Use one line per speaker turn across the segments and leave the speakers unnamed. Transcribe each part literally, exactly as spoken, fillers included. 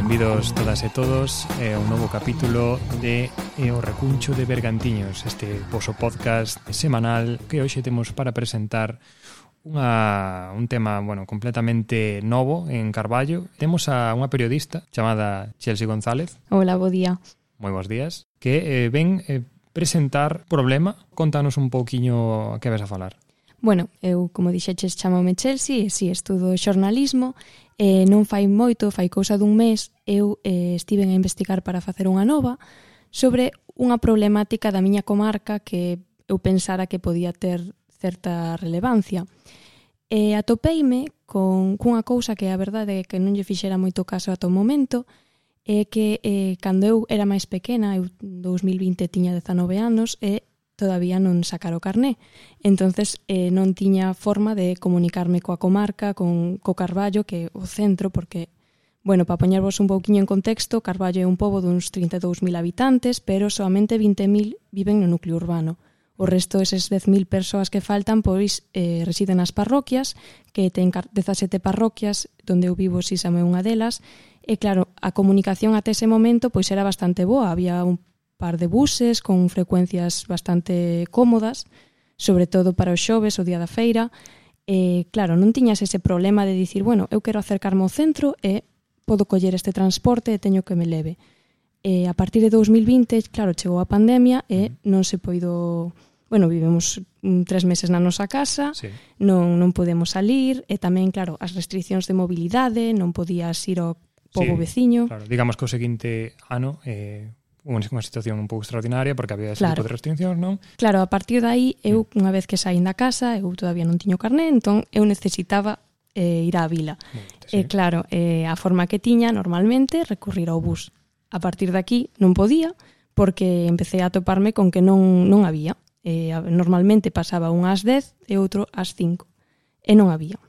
benvidos todas e todos a un novo capítulo de O Recuncho de Bergantiños, este voso podcast semanal que hoxe temos para presentar unha, un tema, bueno, completamente novo en Carballo. Temos a unha periodista chamada Chelsea González.
Hola, bo día.
Moi bons días. Que eh, ven eh, presentar problema. Contanos un pouquiño a que vas a falar.
Bueno, eu, como dixeches, chamome Chelsea e si estudo xornalismo. E non fai moito, fai cousa dun mes, eu eh, estive a investigar para facer unha nova sobre unha problemática da miña comarca que eu pensara que podía ter certa relevancia. E atopeime con cunha cousa que a verdade é que non lle fixera moito caso ata o momento, é que eh, cando eu era máis pequena, eu en dous mil vinte tiña dezanove anos e todavía non sacara o carné. Entonces eh, non tiña forma de comunicarme coa comarca, con co Carballo, que é o centro, porque, bueno, para poñervos un pouquiño en contexto, Carballo é un pobo duns trinta e dous mil habitantes, pero soamente vinte mil viven no núcleo urbano. O resto, eses dez mil persoas que faltan, pois eh, residen nas parroquias, que ten dezasete parroquias, donde eu vivo, Sísamo é unha delas, e claro, a comunicación até ese momento pois era bastante boa, había un par de buses con frecuencias bastante cómodas, sobre todo para os xoves, o día da feira, e claro, non tiñas ese problema de dicir, bueno, eu quero acercarme ao centro e podo coller este transporte e teño que me leve. E a partir de dous mil vinte, claro, chegou a pandemia e non se poido... Bueno, vivemos tres meses na nosa casa, sí. non, non podemos salir, e tamén, claro, as restriccións de mobilidade, non podías ir ao pobo sí, veciño.
Claro, digamos que o seguinte ano... Eh... unha situación un pouco extraordinaria porque había ese
claro.
tipo de restriccións, non?
Claro, a partir de aí, eu, unha vez que saín da casa, eu todavía non tiño carné, entón eu necesitaba eh, ir á vila. E sí. claro, eh, a forma que tiña normalmente recurrir ao bus. A partir de aquí non podía porque empecé a toparme con que non, non había. Eh, normalmente pasaba un ás dez e outro ás cinco. E non había.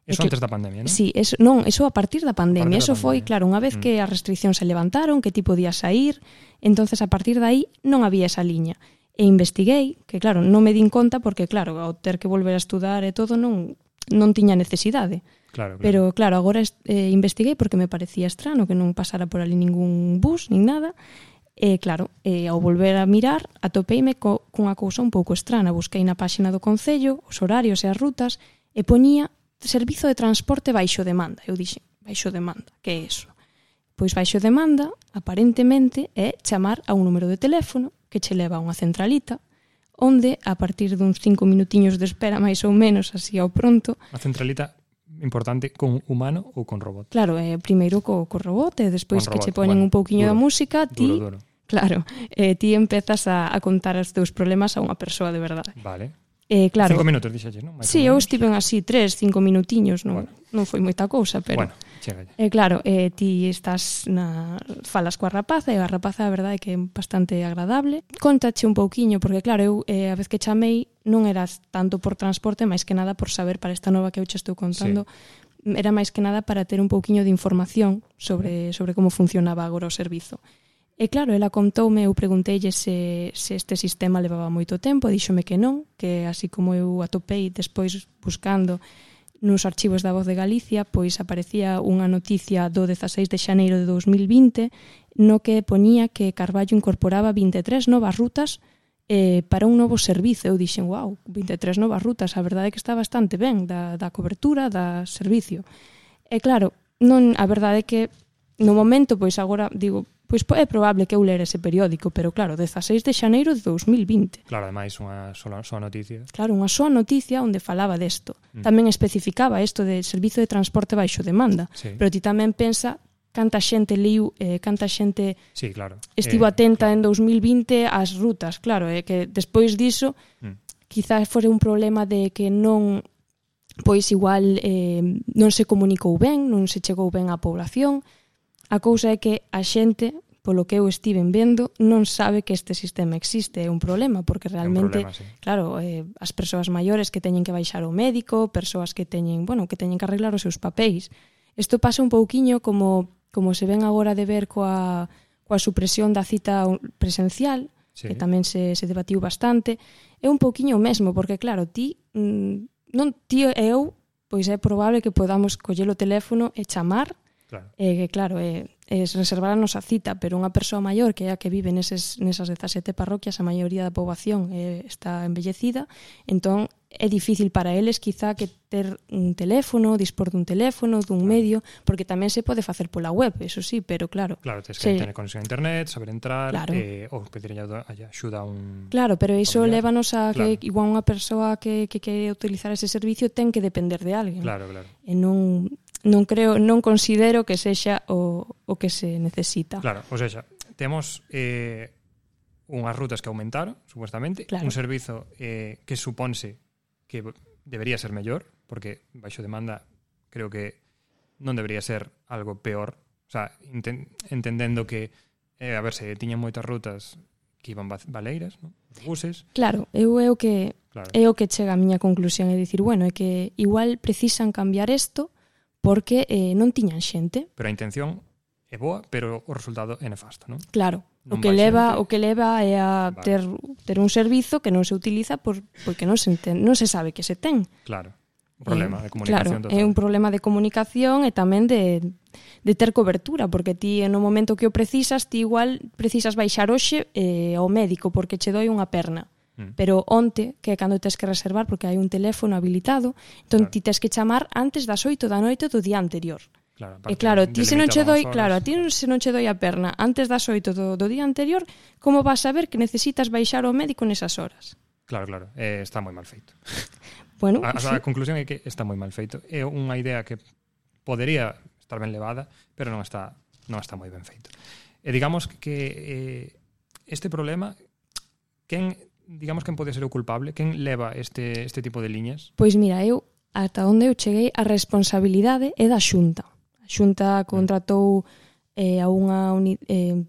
Eso que, antes da pandemia, non?
Sí, eso, non, eso a partir da pandemia. Eso
da
foi,
pandemia.
claro, unha vez mm. que as restriccións se levantaron, que ti podías sair, entonces a partir de aí non había esa liña. E investiguei, que claro, non me din conta porque, claro, ao ter que volver a estudar e todo non, non tiña necesidade.
Claro, claro.
Pero, claro, agora eh, investiguei porque me parecía estrano que non pasara por ali ningún bus, nin nada. E, claro, eh, ao volver a mirar, atopeime co, cunha cousa un pouco estrana. Busquei na páxina do Concello os horarios e as rutas e poñía servizo de transporte baixo demanda. Eu dixen, baixo demanda, que é iso? Pois baixo demanda, aparentemente, é chamar a un número de teléfono que che leva a unha centralita, onde, a partir duns cinco minutiños de espera, máis ou menos, así ao pronto...
A centralita importante con humano ou con robot?
Claro, eh, primeiro co, co robot, e despois que che poñen bueno, un pouquiño
duro,
da música, ti...
Duro, duro.
Claro, eh, ti empezas a, a contar os teus problemas a unha persoa de verdade.
Vale.
Eh, claro.
Cinco minutos, dixaches, non?
Sí, eu estiven así tres, cinco minutiños, non, bueno. non foi moita cousa, pero...
Bueno, chega
eh, claro, eh, ti estás na... falas coa rapaza, e a rapaza, a verdade, é que é bastante agradable. Contache un pouquiño, porque claro, eu eh, a vez que chamei non era tanto por transporte, máis que nada por saber para esta nova que eu che estou contando, sí. era máis que nada para ter un pouquiño de información sobre, sobre como funcionaba agora o servizo. E claro, ela contoume, eu pregunteille se, se este sistema levaba moito tempo, díxome que non, que así como eu atopei despois buscando nos archivos da Voz de Galicia, pois aparecía unha noticia do dezaseis de xaneiro de dous mil vinte no que poñía que Carballo incorporaba vinte e tres novas rutas eh, para un novo servizo. Eu dixen, wow, vinte e tres novas rutas, a verdade é que está bastante ben da, da cobertura, da servicio. E claro, non, a verdade é que no momento, pois agora digo, pois é probable que eu lera ese periódico, pero claro, dezaseis de xaneiro de dous mil vinte.
Claro, ademais unha sola, sola noticia.
Claro, unha soa noticia onde falaba desto. Mm. Tamén especificaba isto de servizo de transporte baixo demanda.
Sí.
Pero ti tamén pensa canta xente liu, eh, canta xente
sí, claro.
estivo
eh,
atenta
claro.
en dous mil vinte ás rutas. Claro, é eh, que despois diso mm. quizás fora un problema de que non pois igual eh, non se comunicou ben, non se chegou ben á población. A cousa é que a xente, polo que eu estiven vendo, non sabe que este sistema existe. É un problema, porque realmente,
problema, sí.
claro, eh, as persoas maiores que teñen que baixar ao médico, persoas que teñen, bueno, que teñen que arreglar os seus papéis. Isto pasa un pouquiño como, como se ven agora de ver coa, coa supresión da cita presencial, sí. que tamén se, se debatiu bastante. É un pouquiño o mesmo, porque claro, ti, non ti e eu, pois é probable que podamos coller o teléfono e chamar.
Claro.
Eh, que claro, eh, es reservar a nosa cita, pero unha persoa maior que é a que vive neses, nesas dezasete parroquias, a maioría da poboación eh, está envellecida, entón é difícil para eles quizá que ter un teléfono, dispor dun teléfono, dun
claro.
medio, porque tamén se pode facer pola web, eso sí, pero claro.
Claro, tens que
se...
tener conexión a internet, saber entrar,
claro.
eh, ou pedir axuda a un...
Claro, pero iso
familiar.
lévanos a que
claro.
igual unha persoa que, que quere utilizar ese servicio ten que depender de alguén.
Claro, claro.
E non, non creo, non considero que sexa o, o que se necesita.
Claro, ou seja, temos... Eh, unhas rutas que aumentaron, supuestamente,
claro.
un servizo eh, que suponse que debería ser mellor, porque baixo demanda creo que non debería ser algo peor, o sea, enten, entendendo que eh, a ver, se tiñan moitas rutas que iban baleiras, ¿no? Os buses.
Claro, eu é o que
claro.
é o que chega a miña conclusión, é dicir, bueno, é que igual precisan cambiar isto porque eh, non tiñan xente.
Pero a intención é boa, pero o resultado é nefasto, non?
Claro.
Non
o que leva
xente.
o que leva é a
vale.
ter ter un servizo que non se utiliza por porque non se enten, non se sabe que se ten.
Claro. Un problema
eh,
de comunicación
claro,
total.
É un problema de comunicación e tamén de de ter cobertura, porque ti no momento que o precisas, ti igual precisas baixar hoxe eh, ao médico porque che doi unha perna. Mm. Pero onte, que é cando tes que reservar porque hai un teléfono habilitado, entón claro. ti tes que chamar antes das oito da noite do día anterior.
Claro,
e claro, ti se non che doi, claro, a ti se non che doi a perna antes das oito do, do día anterior, como vas a saber que necesitas baixar ao médico nesas horas?
Claro, claro, eh, está moi mal feito.
Bueno,
a,
sí.
a conclusión é que está moi mal feito. É unha idea que podería estar ben levada, pero non está non está moi ben feito. E digamos que eh, este problema, quen, digamos quen pode ser o culpable, quen leva este este tipo de liñas?
Pois mira, eu ata onde eu cheguei, a responsabilidade é da Xunta. A Xunta contratou eh, a unha uni, eh,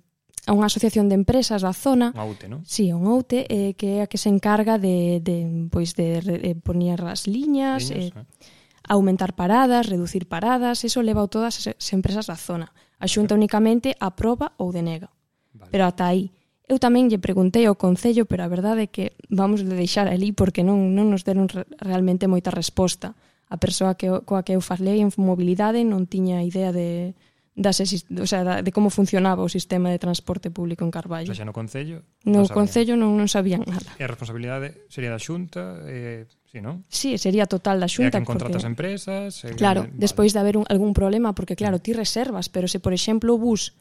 a unha asociación de empresas da zona.
Unha U T E, non?
Sí, unha U T E eh, que é a que se encarga de, de, pois de, de poñer as liñas,
liñas
eh,
eh.
aumentar paradas, reducir paradas, eso leva a todas as empresas da zona. A Xunta okay. únicamente aproba ou denega. Vale. Pero ata aí. Eu tamén lle preguntei ao Concello, pero a verdade é que vamos de deixar ali porque non, non nos deron re, realmente moita resposta. A persoa que, coa que eu falei en mobilidade non tiña idea de, das, o sea, de como funcionaba o sistema de transporte público en Carballo.
O sea, no Concello
No
non
Concello non, non sabían nada.
E a responsabilidade sería da Xunta, eh, sí, non?
Sí, sería total da Xunta.
E a quen contrata
porque,
as empresas. E
claro,
vale.
despois de haber un, algún problema, porque claro, ti reservas, pero se, por exemplo, o bus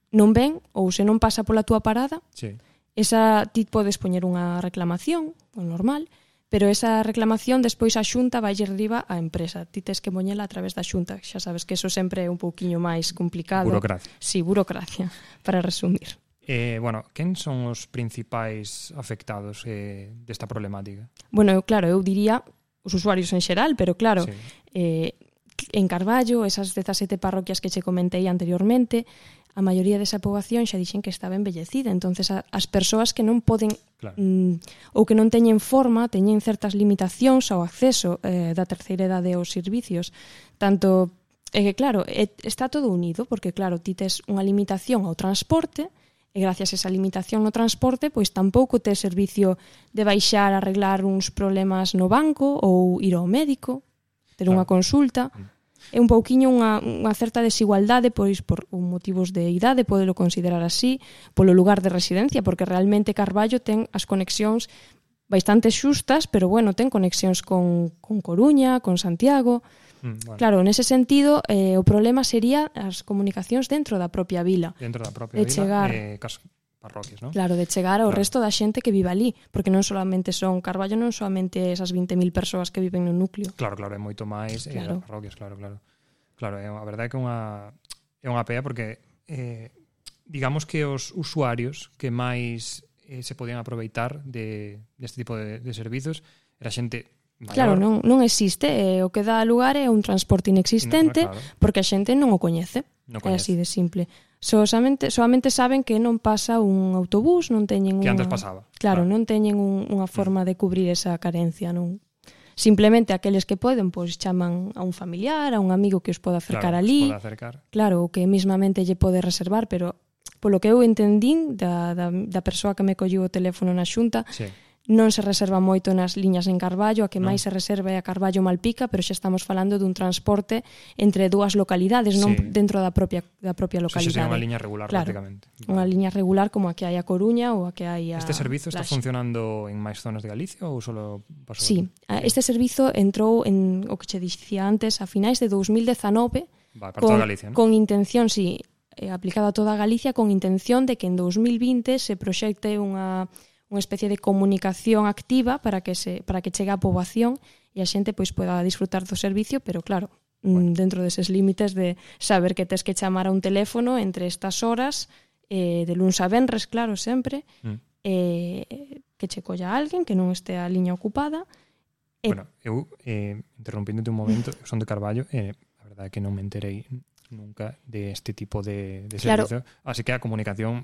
non ven ou se non pasa pola túa parada,
sí.
esa ti podes poñer unha reclamación, o normal, pero esa reclamación despois a Xunta vai arriba á empresa. Ti tes que poñela a través da Xunta. Xa sabes que eso sempre é un pouquiño máis complicado.
Burocracia.
Sí, burocracia, para resumir.
Eh, bueno, quen son os principais afectados eh, desta problemática?
Bueno, eu, claro, eu diría os usuarios en xeral, pero claro,
sí.
eh, en Carballo, esas dezasete parroquias que che comentei anteriormente, a maioría desa poboación xa dixen que estaba envellecida, entonces a, as persoas que non poden
claro.
mm, ou que non teñen forma, teñen certas limitacións ao acceso eh, da terceira idade aos servicios, tanto é que claro, é, está todo unido, porque claro, ti tes unha limitación ao transporte e gracias a esa limitación no transporte, pois tampouco tes servicio de baixar a arreglar uns problemas no banco ou ir ao médico, ter claro. unha consulta. Mm. É un pouquiño unha, unha certa desigualdade, pois por motivos de idade, podelo considerar así, polo lugar de residencia, porque realmente Carballo ten as conexións bastante xustas, pero bueno, ten conexións con, con Coruña, con Santiago.
Mm, bueno.
Claro, nese sentido, eh, o problema sería as comunicacións dentro da propia vila.
Dentro da propia
de
vila,
chegar,
eh, cas parroquias, non?
Claro, de chegar ao
claro.
resto da xente que vive ali, porque non solamente son Carballo, non solamente esas vinte mil persoas que viven no núcleo.
Claro, claro, é moito máis claro. eh, as parroquias, claro, claro. Claro, é a verdade é que é unha é unha pea porque eh, digamos que os usuarios que máis eh, se podían aproveitar de deste tipo de, de servizos era xente maior.
Claro, non, non existe, eh, o que dá lugar é un transporte inexistente,
claro.
porque a xente non o coñece.
No
é así de simple. Solamente, solamente saben que non pasa un autobús, non teñen
que
unha...
antes pasaba.
Claro, claro. non teñen un, unha forma de cubrir esa carencia, non. Simplemente aqueles que poden, pois chaman a un familiar, a un amigo que os poda acercar
claro,
ali.
Pode acercar.
Claro, o que mismamente lle pode reservar, pero polo que eu entendín da, da, da persoa que me colliu o teléfono na Xunta,
sí.
non se reserva moito nas liñas en Carballo, a que
non.
máis se reserva é a Carballo-Malpica, pero xa estamos falando dun transporte entre dúas localidades, non
Sí.
dentro da propia da propia
Eso xa sería
localidade.
unha liña regular,
Claro,
prácticamente.
Unha liña regular como a que hai a Coruña ou a que hai a
Este servizo está
Laxe.
funcionando en máis zonas de Galicia ou solo pasou?
Sí,
aquí?
este servizo entrou en o que che dicía antes a finais de dous mil dezanove
Va, para
con,
toda Galicia, ¿no?
con intención, sí, eh, aplicado a toda Galicia con intención de que en dous mil vinte se proxecte unha unha especie de comunicación activa para que se para que chegue á poboación e a xente pois poida disfrutar do servicio, pero claro, bueno. dentro deses límites de saber que tes que chamar a un teléfono entre estas horas, eh, de luns a venres, claro, sempre, mm. eh, que che colla alguén que non este a liña ocupada.
Eh, bueno, eu, eh, interrompíndote un momento, son de Carballo, e eh, a verdade é que non me enterei nunca de este tipo de, de servizo, claro. Así que a comunicación,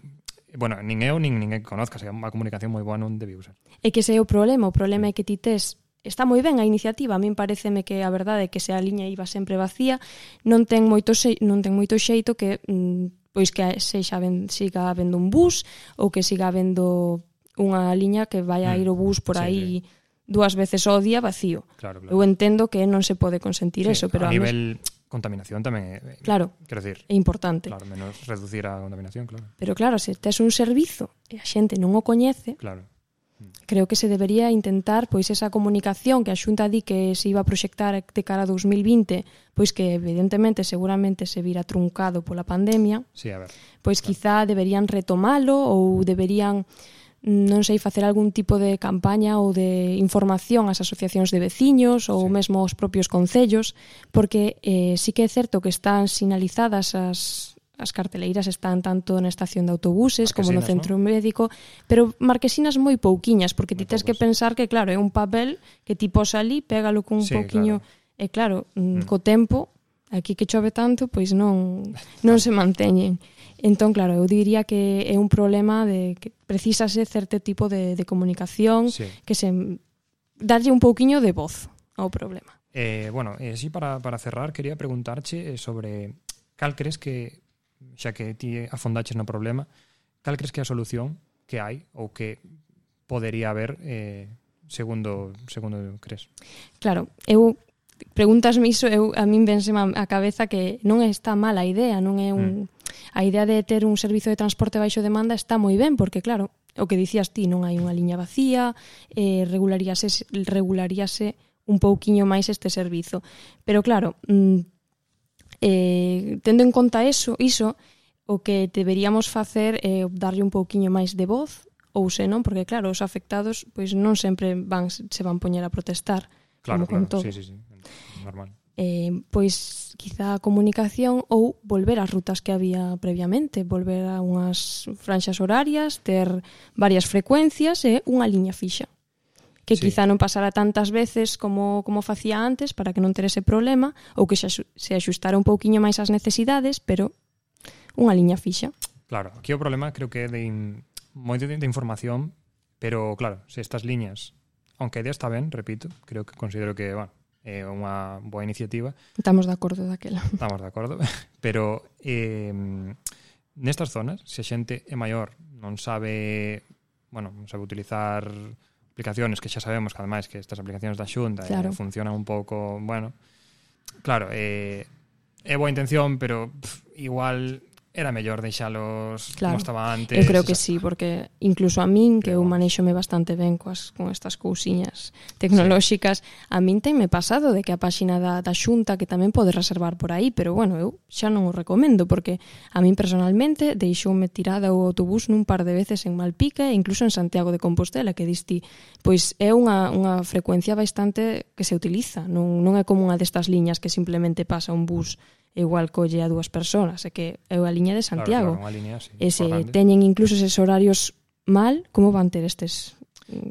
bueno, nin eu nin ninguén que conozca, a comunicación moi boa non debiu ser.
É que ese é o problema, o problema é que ti tes, está moi ben a iniciativa, a min pareceme que a verdade é que se a liña iba sempre vacía, non ten moito xe, non ten moito xeito que mm, pois que sexa ben, siga habendo un bus ou que siga habendo unha liña que vai a ir o bus por aí sí, sí. dúas veces ao día vacío.
Claro, claro.
Eu entendo que non se pode consentir sí, eso, pero
a, a nivel mes... contaminación tamén é,
claro,
quero decir,
é importante.
Claro, menos reducir a contaminación, claro.
Pero claro, se tes un servizo e a xente non o coñece,
claro.
creo que se debería intentar pois esa comunicación que a Xunta di que se iba a proxectar de cara a dous mil vinte, pois que evidentemente seguramente se vira truncado pola pandemia.
Sí, a ver.
Pois
claro.
quizá deberían retomalo ou deberían, non sei, facer algún tipo de campaña ou de información ás asociacións de veciños ou sí. mesmo aos propios concellos, porque eh, sí que é certo que están sinalizadas as as carteleiras, están tanto na estación de autobuses como no centro, ¿no?, médico, pero marquesinas moi pouquiñas, porque ti tes que pensar que, claro, é un papel que ti pos ali, pégalo cun sí, pouquiño, claro. E claro, mm. co tempo, aquí que chove tanto, pois non non se manteñen. Entón, claro, eu diría que é un problema de que precisase certo tipo de, de comunicación sí. que se darlle un pouquiño de voz ao problema.
Eh, bueno, eh, sí, para, para cerrar, quería preguntarche sobre cal crees que, xa que ti afondaches no problema, cal crees que é a solución que hai ou que podería haber eh, segundo segundo crees?
Claro, eu pregúntasme iso, eu a min vénseme a cabeza que non está mala a idea, non é un mm. a idea de ter un servizo de transporte baixo demanda está moi ben, porque claro, o que dicías ti, non hai unha liña vacía, eh, regularíase regularíase un pouquiño máis este servizo. Pero claro, mm, Eh, tendo en conta eso, iso, o que deberíamos facer é darlle un pouquiño máis de voz, ou se non, porque claro, os afectados pois non sempre van se van poñer a protestar.
Claro,
como
claro, sí, sí, sí, normal.
Eh, pois quizá a comunicación ou volver ás rutas que había previamente, volver a unhas franxas horarias, ter varias frecuencias e unha liña fixa. Que sí. quizá non pasara tantas veces como, como facía antes para que non ter ese problema, ou que se, se axustara un pouquiño máis as necesidades, pero unha liña fixa.
Claro, aquí o problema creo que é de in, moito de, de información, pero claro, se estas liñas, aunque a idea está ben, repito, creo que considero que, bueno, é unha boa iniciativa.
Estamos de acordo daquela.
Estamos de acordo, pero eh, nestas zonas, se a xente é maior, non sabe, bueno, non sabe utilizar aplicaciones que xa sabemos que ademais que estas aplicacións da Xunta claro. eh, funcionan un pouco, bueno, claro, eh, é boa intención, pero pff, igual era mellor deixalos claro. como estaba antes.
Eu creo que sí, porque incluso a min, que eu manexome bastante ben coas, con estas cousiñas tecnolóxicas, sí. a min tenme pasado de que a páxina da, da Xunta, que tamén pode reservar por aí, pero bueno, eu xa non o recomendo, porque a min personalmente deixoume tirada o autobús nun par de veces en Malpica e incluso en Santiago de Compostela, que diste, pois é unha, unha frecuencia bastante que se utiliza, non, non é como unha destas liñas que simplemente pasa un bus igual colle a dúas persoas, é que é a liña de Santiago.
Claro, claro, unha liña, sí,
e se teñen incluso eses horarios mal, como van ter estes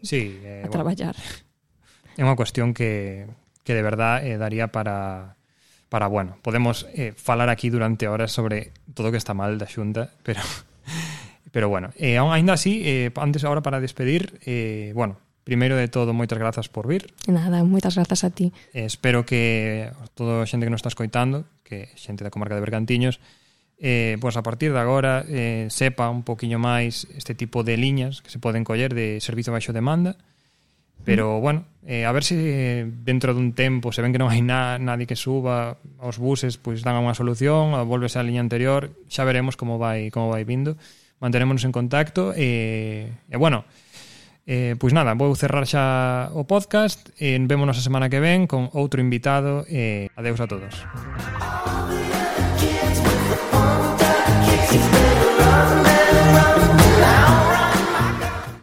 sí, eh,
a traballar?
Bueno, é unha cuestión que, que de verdad eh, daría para, para bueno, podemos eh, falar aquí durante horas sobre todo o que está mal da Xunta, pero pero bueno, eh, ainda así, eh, antes agora para despedir, eh, bueno, primeiro de todo, moitas grazas por vir.
Nada, moitas grazas a ti.
Eh, espero que toda a xente que nos está escoitando, que xente da comarca de Bergantiños, eh, pois a partir de agora eh, sepa un poquinho máis este tipo de liñas que se poden coller de servizo baixo demanda, Pero, bueno, eh, a ver se dentro dun tempo se ven que non hai na, nadie que suba aos buses, pois dan unha solución, ou volvese á liña anterior, xa veremos como vai como vai vindo. Manterémonos en contacto e, e bueno, eh, pois nada, vou cerrar xa o podcast e vémonos a semana que ven con outro invitado e adeus a todos.